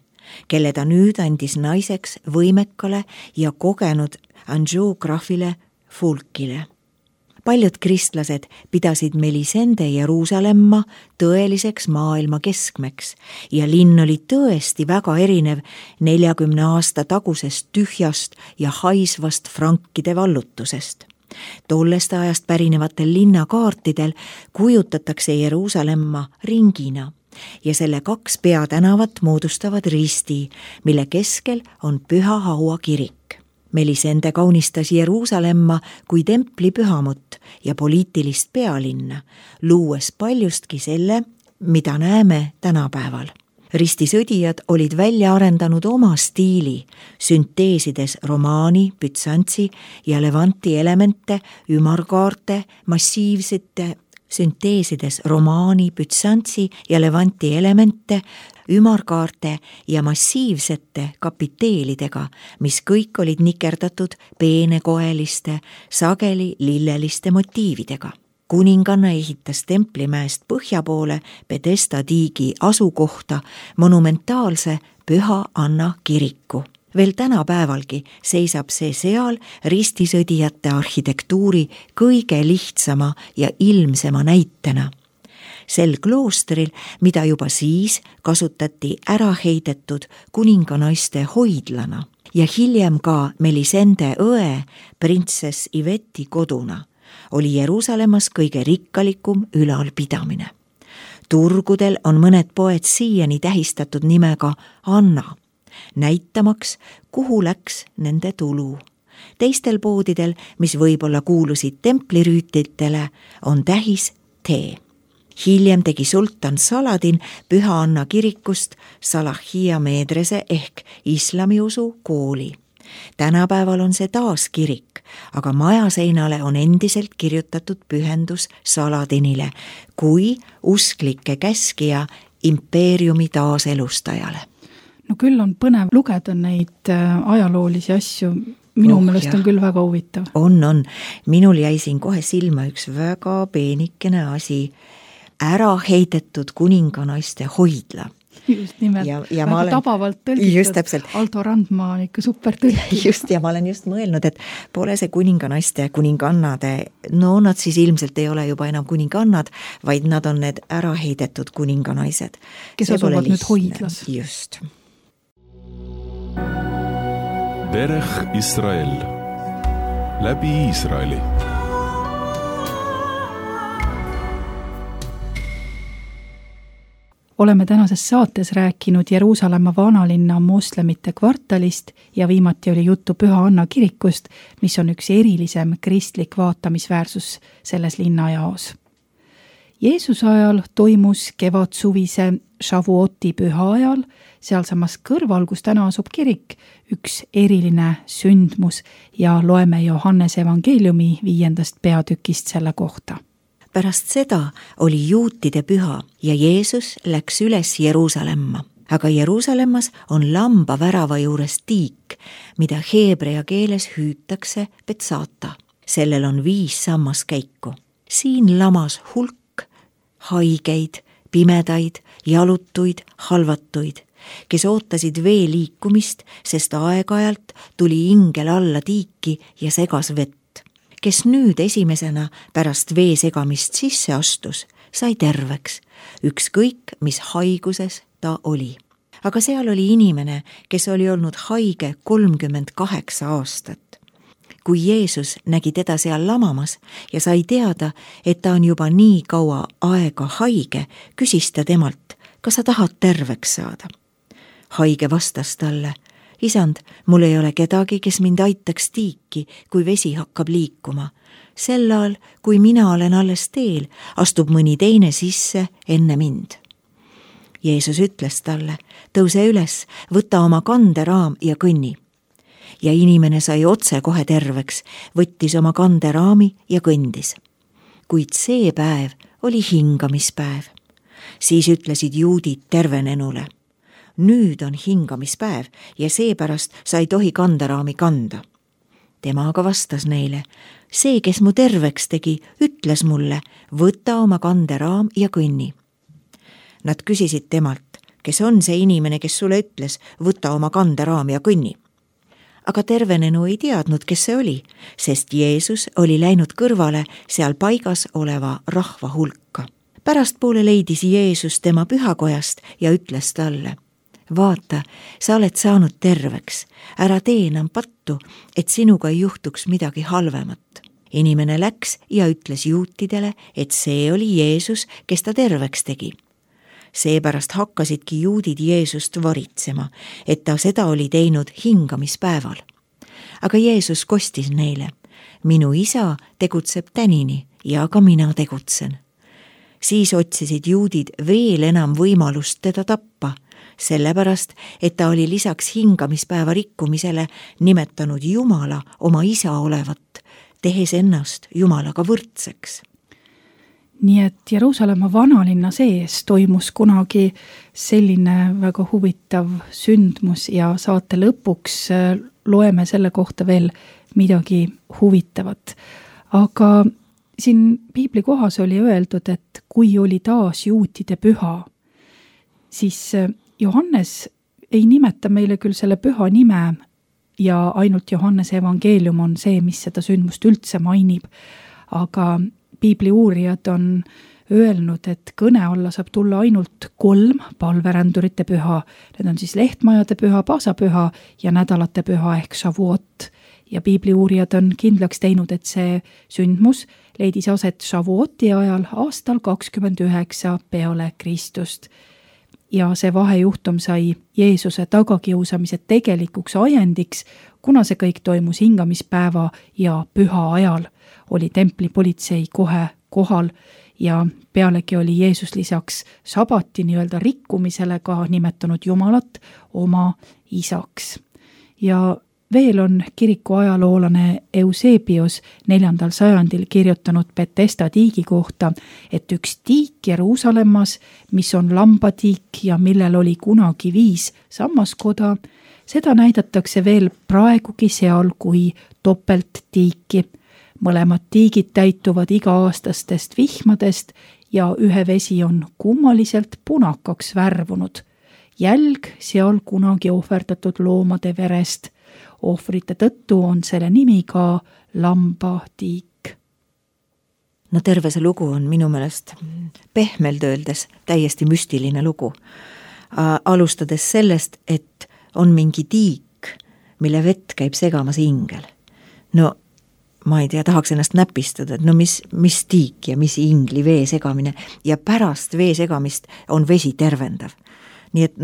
kelle ta nüüd andis naiseks võimekale ja kogenud Anjou grafile Fulkile. Paljud kristlased pidasid Melisende Jeruusalemma tõeliseks maailma keskmeks ja linn oli tõesti väga erinev 40 aasta tagusest tühjast ja haisvast frankide vallutusest. Tollest ajast pärinevatel linnakaartidel kujutatakse Jeruusalemma ringina ja selle 2 peatänavat moodustavad risti, mille keskel on Püha Haua kirik. Melisende kaunistas Jeruusalemma kui templi pühamut ja poliitilist pealinna, luues paljustki selle, mida näeme tänapäeval. Ristisõdijad olid välja arendanud oma stiili, sünteesides romaani, bütsantsi ja levanti elemente, ümarkaarte, massiivsete sünteesides romaani, bütsantsi ja levanti elemente, ümarkaarte ja massiivsete kapiteelidega, mis kõik olid nikerdatud peenekoeliste, sageli lilleliste motiividega. Kuninganna ehitas Templimäest põhja poole Pedesta tiigi asukohta monumentaalse Püha Anna kiriku. Veel tänapäevalgi seisab see seal ristisõdijate arhitektuuri kõige lihtsama ja ilmsema näitena. Sel kloostril, mida juba siis kasutati ära heidetud kuninganaiste hoidlana ja hiljem ka Melisende õe printsess Iveti koduna, oli Jeruusalemmas kõige rikkalikum ülalpidamine. Turgudel on mõned poed siiani tähistatud nimega Anna, näitamaks, kuhu läks nende tulu. Teistel poodidel, mis võib-olla kuulusid templirüütitele, on tähis T. Hiljem tegi sultan Saladin Püha Anna kirikust Salahia meedrese ehk islamiusu kooli. Tänapäeval on see taas kirik, aga majaseinale on endiselt kirjutatud pühendus Saladinile kui usklike käskija impeeriumi taaselustajale. No küll on põnev lugeda neid ajaloolisi asju, minu meelest on küll väga huvitav. On. Minul jäi siin kohe silma üks väga peenikene asi, ära heidetud kuninganaiste hoidla. Just nimelt, ja väga olen, tabavalt tõlgitud. Aldo Randma on ikka super tõlgitud. Just, ja ma olen just mõelnud, et pole see kuninganaiste ja kuningannade, no nad siis ilmselt ei ole juba enam kuningannad, vaid nad on need ära heidetud kuninganaised. Kes asuvad nüüd hoidlas. Just. Derech Israel. Läbi Iisraeli. Oleme tänases saates rääkinud Jeruusalemma vanalinna moslemite kvartalist ja viimati oli juttu Püha Anna kirikust, mis on üks erilisem kristlik vaatamisväärsus selles linnajaos. Jeesuse ajal toimus kevadsuvise Shavuoti püha ajal, sealsamas kõrval, kus täna asub kirik, üks eriline sündmus ja loeme Johannese evangeeliumi 5. peatükist selle kohta. Pärast seda oli juutide püha ja Jeesus läks üles Jeruusalemma. Aga Jeruusalemmas on lamba värava juures tiik, mida heebrea keeles hüütakse Betsata. Sellel on 5 sammaskäiku. Siin lamas hulk haigeid, pimedaid, jalutuid, halvatuid, kes ootasid vee liikumist, sest aeg-ajalt tuli ingel alla tiiki ja segas vett. Kes nüüd esimesena pärast vee segamist sisse astus, sai terveks, ükskõik mis haiguses ta oli. Aga seal oli inimene, kes oli olnud haige 38 aastat. Kui Jeesus nägi teda seal lamamas ja sai teada, et ta on juba nii kaua aega haige, küsis ta temalt, kas sa tahad terveks saada? Haige vastas talle, Isand, mul ei ole kedagi, kes mind aitaks tiiki, kui vesi hakkab liikuma. Sel ajal, kui mina olen alles teel, astub mõni teine sisse enne mind. Jeesus ütles talle, tõuse üles, võta oma kanderaam ja kõnni. Ja inimene sai otse kohe terveks, võttis oma kanderaami ja kõndis. Kuid see päev oli hingamispäev. Siis ütlesid juudid tervenenule. Nüüd on hingamispäev ja seepärast sa ei tohi kanderaami kanda. Tema aga vastas neile, see, kes mu terveks tegi, ütles mulle, võta oma kanderaam ja kõnni. Nad küsisid temalt, kes on see inimene, kes sulle ütles, võta oma kanderaam ja kõnni. Aga tervenenu ei teadnud, kes see oli, sest Jeesus oli läinud kõrvale seal paigas oleva rahva hulka. Pärastpoole leidis Jeesus tema pühakojast ja ütles talle, vaata, sa oled saanud terveks, ära tee enam pattu, et sinuga ei juhtuks midagi halvemat. Inimene läks ja ütles juutidele, et see oli Jeesus, kes ta terveks tegi. Seepärast hakkasidki juudid Jeesust varitsema, et ta seda oli teinud hingamispäeval. Aga Jeesus kostis neile, minu isa tegutseb tänini ja ka mina tegutsen. Siis otsisid juudid veel enam võimalust teda tappa, sellepärast, et ta oli lisaks hingamispäeva rikkumisele nimetanud Jumala oma isa olevat, tehes ennast Jumalaga võrdseks. Nii et Jeruusalemma vanalinna sees toimus kunagi selline väga huvitav sündmus ja saate lõpuks loeme selle kohta veel midagi huvitavat. Aga siin piibli kohas oli öeldud, et kui oli taas juutide püha, siis Johannes ei nimeta meile küll selle püha nime ja ainult Johannese evangeelium on see, mis seda sündmust üldse mainib, aga piibli uurijad on öelnud, et kõne alla saab tulla ainult 3 palverändurite püha. Need on siis lehtmajade püha, paasapüha ja nädalate püha ehk Shavuot. Ja piibli uurijad on kindlaks teinud, et see sündmus leidis aset Shavuoti ajal aastal 29 peale Kristust. Ja see vahejuhtum sai Jeesuse tagakiusamise tegelikuks ajendiks, kuna see kõik toimus hingamispäeva ja püha ajal, oli templipolitsei kohe kohal ja pealegi oli Jeesus lisaks sabati nii-öelda rikkumisele ka nimetanud Jumalat oma isaks. Ja veel on kiriku ajaloolane Eusebius 4. sajandil kirjutanud Betesda tiigi kohta, et üks tiik Jeruusalemmas, mis on lambatiik ja millel oli kunagi 5 sammaskoda, seda näidatakse veel praegugi seal kui topelttiiki. Mõlemad tiigid täituvad iga-aastastest vihmadest ja ühe vesi on kummaliselt punakaks värvunud. jälg seal kunagi ohverdatud loomade verest. Ohvrite tõttu on selle nimi ka lambatiik. No terve see lugu on minu meelest pehmelt öeldes täiesti müstiline lugu. Alustades sellest, et on mingi tiik, mille vett käib segamas ingel. No ma ei tea, tahaks ennast näpistada, et no mis tiik ja mis ingli vee segamine ja pärast vee segamist on vesi tervendav. Nii et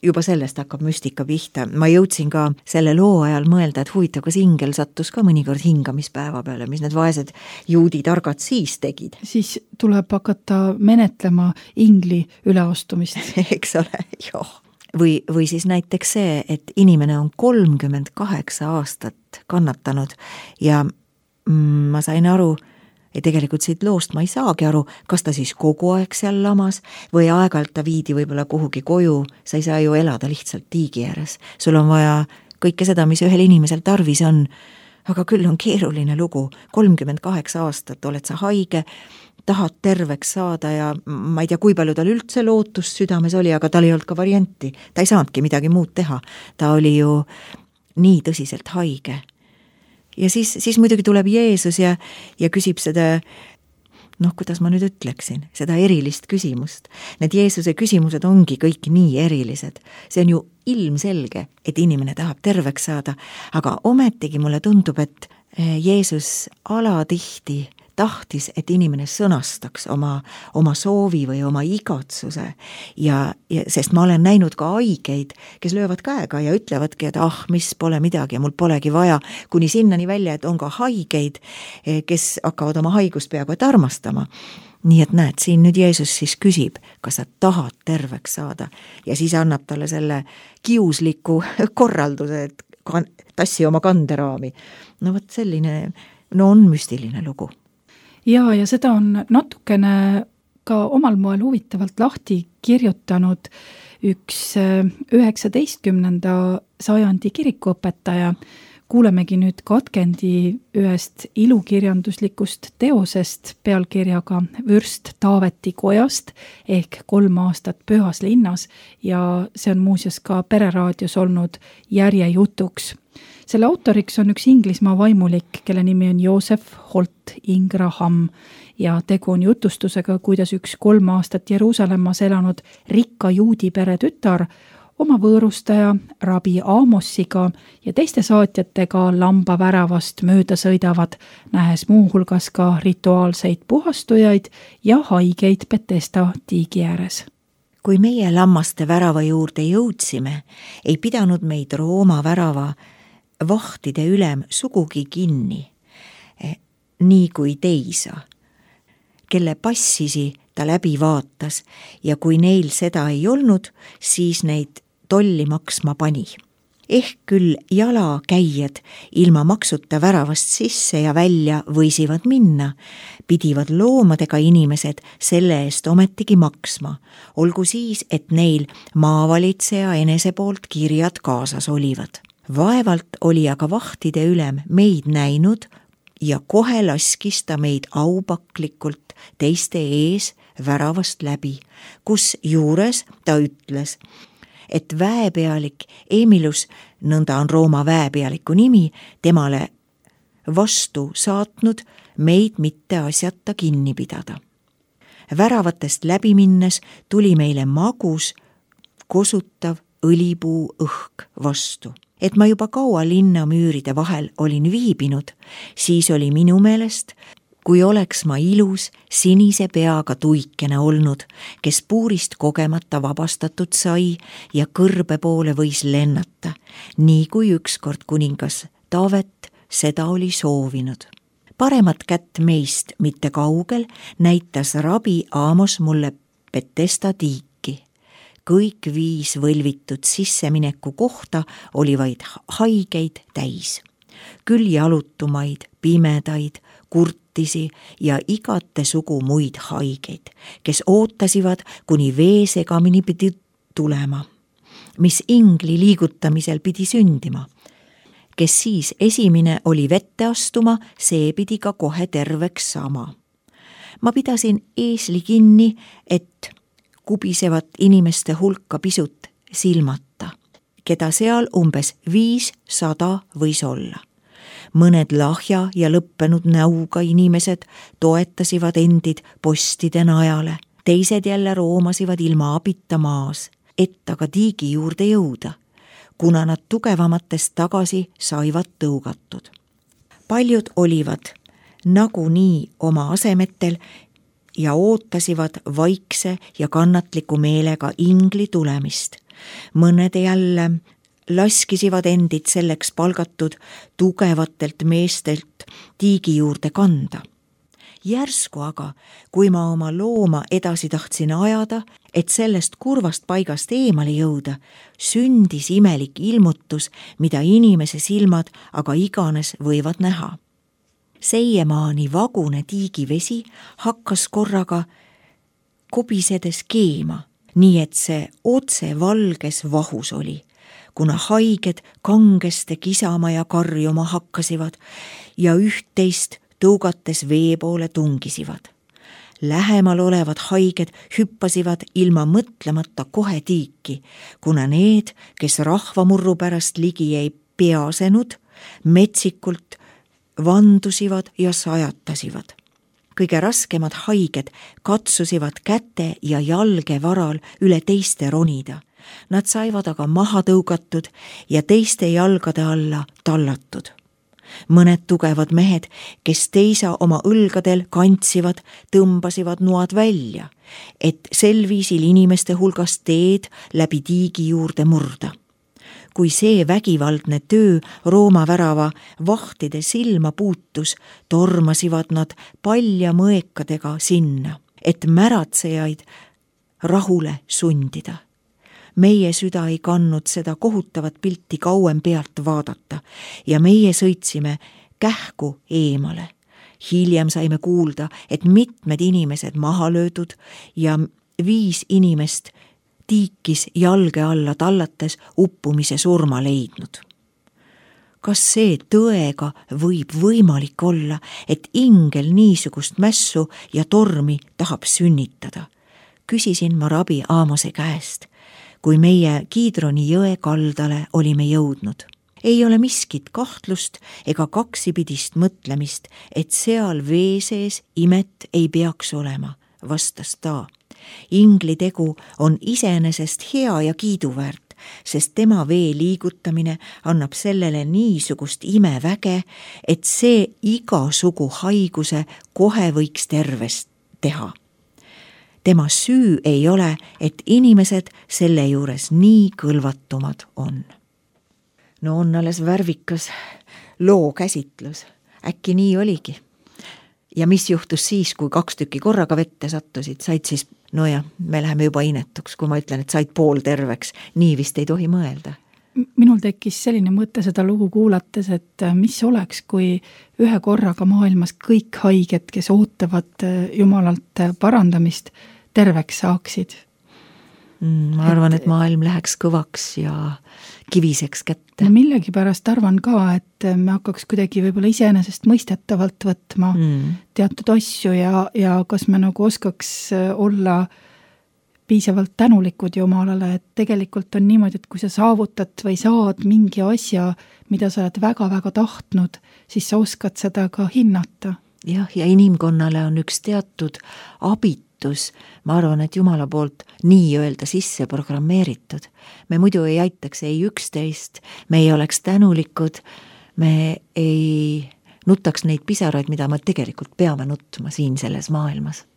juba sellest hakkab müstika pihta. Ma jõudsin ka selle loo ajal mõelda, et huvitav, kas ingel sattus ka mõnikord hingamispäeva peale, mis need vaesed juudi targad siis tegid. Siis tuleb hakata menetlema ingli üleastumist. Eks ole, jah. Või siis näiteks see, et inimene on 38 aastat kannatanud ja ma sain aru, ja tegelikult siit loost ma ei saagi aru, kas ta siis kogu aeg seal lamas või aeg-ajalt ta viidi võib-olla kuhugi koju, sa ei saa ju elada lihtsalt tiigi ääres. Sul on vaja kõike seda, mis ühel inimesel tarvis on, aga küll on keeruline lugu. 38 aastat oled sa haige, tahad terveks saada ja ma ei tea, kui palju tal üldse lootust südames oli, aga tal ei olnud ka varianti. Ta ei saanudki midagi muud teha. Ta oli ju nii tõsiselt haige. Ja siis muidugi tuleb Jeesus ja küsib seda, kuidas ma nüüd ütleksin, seda erilist küsimust. Need Jeesuse küsimused ongi kõik nii erilised. See on ju ilmselge, et inimene tahab terveks saada, aga ometigi mulle tundub, et Jeesus alatihti tahtis, et inimene sõnastaks oma soovi või oma igatsuse ja sest ma olen näinud ka haigeid, kes löövad käega ja ütlevadki, et mis pole midagi ja mul polegi vaja, kuni sinnani välja, et on ka haigeid, kes hakkavad oma haigust peaaegu et armastama. Nii et näed, siin nüüd Jeesus siis küsib, kas sa tahad terveks saada ja siis annab talle selle kiusliku korralduse, et tassi oma kanderaami. No võt selline, on müstiline lugu. Ja seda on natukene ka omal moel huvitavalt lahti kirjutanud üks 19. sajandi kirikuõpetaja. Kuulemegi nüüd katkendi ühest ilukirjanduslikust teosest pealkirjaga Vürst Taaveti kojast ehk 3 aastat pühas linnas ja see on muuseas ka Pereraadios olnud järjejutuks. Selle autoriks on üks Inglismaa vaimulik, kelle nimi on Joseph Holt Ingraham ja tegu on jutustusega, kuidas üks 3 aastat Jeruusalemmas elanud rikka juudi pere tütar oma võõrustaja Rabi Amossiga ja teiste saatjatega lambaväravast mööda sõidavad, nähes muuhulgas ka rituaalseid puhastujaid ja haigeid Betesda tiigi ääres. Kui meie lammaste värava juurde jõudsime, ei pidanud meid Rooma värava vahtide ülem sugugi kinni, nii kui teisa, kelle passisi ta läbi vaatas ja kui neil seda ei olnud, siis neid tolli maksma pani. Ehk küll jalakäijad ilma maksuta väravast sisse ja välja võisivad minna, pidivad loomadega inimesed selle eest ometigi maksma, olgu siis, et neil maavalitseja enese poolt kirjad kaasas olivad. Vaevalt oli aga vahtide ülem meid näinud ja kohe laskis ta meid aupaklikult teiste ees väravast läbi, kus juures ta ütles, et väepealik Emilus, nõnda on Rooma väepealiku nimi, temale vastu saatnud meid mitte asjata kinni pidada. Väravatest läbi minnes tuli meile magus, kosutav õlipuu õhk vastu. Et ma juba kaua linnamüüride vahel olin viibinud, siis oli minu meelest, kui oleks ma ilus sinise peaga tuikene olnud, kes puurist kogemata vabastatud sai ja kõrbe poole võis lennata, nii kui ükskord kuningas Taavet seda oli soovinud. Paremat kätt meist mitte kaugel näitas Rabi Amos mulle Betesda tiiki. Kõik 5 võlvitud sissemineku kohta oli vaid haigeid täis. Küll jalutumaid, pimedaid, kurtisi ja igate sugu muid haigeid, kes ootasivad, kuni vee segamini pidi tulema, mis ingli liigutamisel pidi sündima. Kes siis esimene oli vette astuma, see pidi ka kohe terveks sama. Ma pidasin eesli kinni, et kubisevat inimeste hulka pisut silmata, keda seal umbes 500 võis olla. Mõned lahja ja lõppenud näuga inimesed toetasivad endid postide najale, teised jälle roomasivad ilma abita maas, et aga tiigi juurde jõuda, kuna nad tugevamatest tagasi saivad tõugatud. Paljud olivad nagunii oma asemetel ja ootasivad vaikse ja kannatliku meelega ingli tulemist. Mõned jälle laskisivad endid selleks palgatud tugevatelt meestelt tiigi juurde kanda. Järsku aga, kui ma oma looma edasi tahtsin ajada, et sellest kurvast paigast eemale jõuda, sündis imelik ilmutus, mida inimese silmad aga iganes võivad näha. Seiemaani vagune tiigivesi hakkas korraga kobisedes keema, nii et see otse valges vahus oli, kuna haiged kangeste kisama ja karjuma hakkasivad ja üht-teist tõugates vee poole tungisivad. Lähemal olevad haiged hüppasivad ilma mõtlemata kohe tiiki, kuna need, kes rahvamurru pärast ligi ei peasenud, metsikult vandusivad ja sajatasivad. Kõige raskemad haiged katsusivad käte ja jalge varal üle teiste ronida. Nad saivad aga maha tõugatud ja teiste jalgade alla tallatud. Mõned tugevad mehed, kes teisa oma õlgadel kantsivad, tõmbasivad noad välja, et sel viisil inimeste hulgast teed läbi tiigi juurde murda. Kui see vägivaldne töö Rooma värava vahtide silma puutus, tormasivad nad palja mõekadega sinna, et märatsejaid rahule sundida. Meie süda ei kannud seda kohutavat pilti kauem pealt vaadata ja meie sõitsime kähku eemale. Hiljem saime kuulda, et mitmed inimesed maha löödud ja 5 inimest tiikis jalge alla tallates uppumise surma leidnud. Kas see tõega võib võimalik olla, et ingel niisugust mässu ja tormi tahab sünnitada? Küsisin ma rabi Aamose käest, kui meie Kiidroni jõe kaldale olime jõudnud. Ei ole miskit kahtlust ega kaksipidist mõtlemist, et seal vee sees imet ei peaks olema, vastas ta. Ingli tegu on iseenesest hea ja kiiduväärt, sest tema vee liigutamine annab sellele niisugust imeväge, et see igasugu haiguse kohe võiks tervest teha. Tema süü ei ole, et inimesed selle juures nii kõlvatumad on. No on alles värvikas loo käsitlus. Äkki nii oligi. Ja mis juhtus siis, kui 2 tükki korraga vette sattusid? Said siis, me läheme juba inetuks, kui ma ütlen, et said pool terveks. Nii vist ei tohi mõelda. Minul tekkis selline mõte seda lugu kuulates, et mis oleks, kui ühe korraga maailmas kõik haiged, kes ootavad Jumalalt parandamist, terveks saaksid. Ma arvan, et maailm läheks kõvaks ja kiviseks kätte. Ma millegi pärast arvan ka, et me hakkaks kuidagi võib-olla iseenesest mõistetavalt võtma teatud asju ja kas me nagu oskaks olla piisavalt tänulikud Jumalale, et tegelikult on niimoodi, et kui sa saavutad või saad mingi asja, mida sa oled väga-väga tahtnud, siis sa oskad seda ka hinnata. Jah, ja inimkonnale on üks teatud abitus, ma arvan, et Jumala poolt nii öelda sisse programmeeritud. Me muidu ei aitaks ei üksteist, me ei oleks tänulikud, me ei nutaks neid pisaraid, mida me tegelikult peame nutma siin selles maailmas.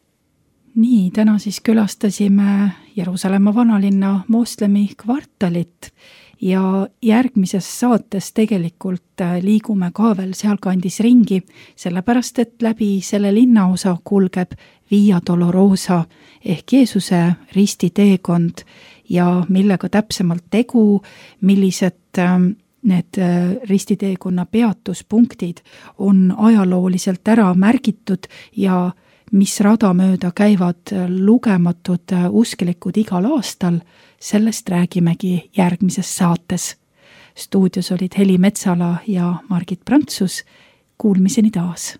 Nii, täna siis külastasime Jeruusalemma vanalinna moslemi kvartalit ja järgmises saates tegelikult liigume ka veel sealkandis ringi, sellepärast et läbi selle linnaosa kulgeb Via Dolorosa ehk Jeesuse ristiteekond ja millega täpsemalt tegu, millised need ristiteekonna peatuspunktid on ajalooliselt ära märgitud ja mis rada mööda käivad lugematud usklikud igal aastal, sellest räägimegi järgmises saates. Stuudios olid Heli Metsala ja Margit Prantsus. Kuulmiseni taas!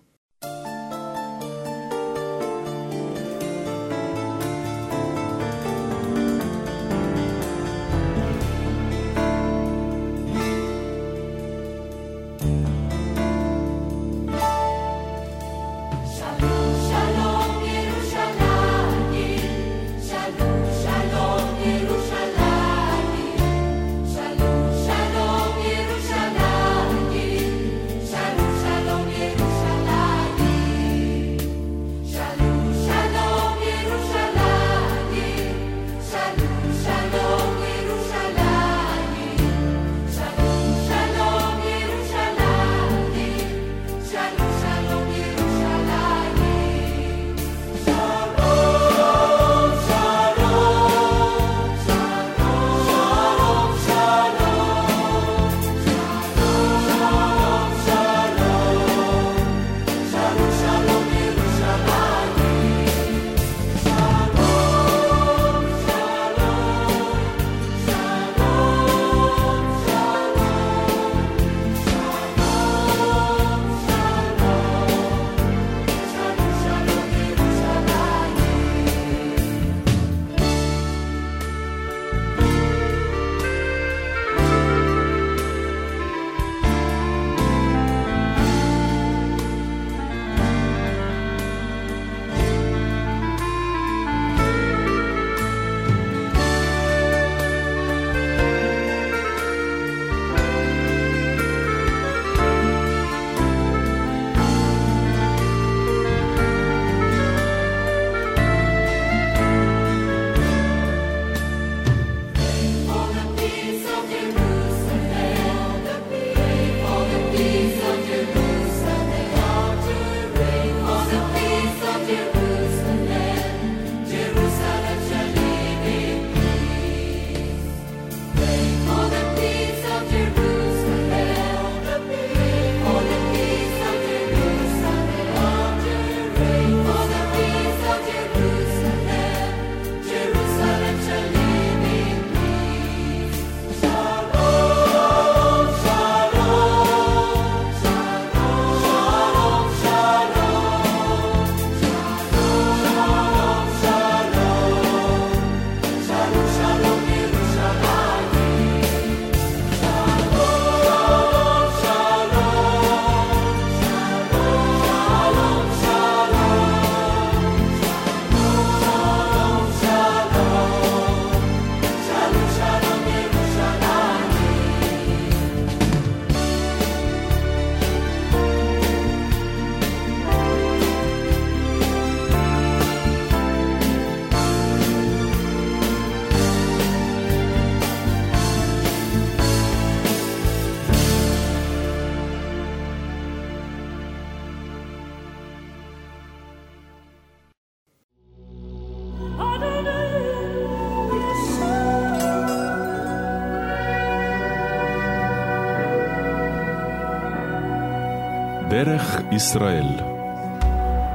דרך ישראל.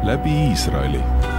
läbi Iisraeli.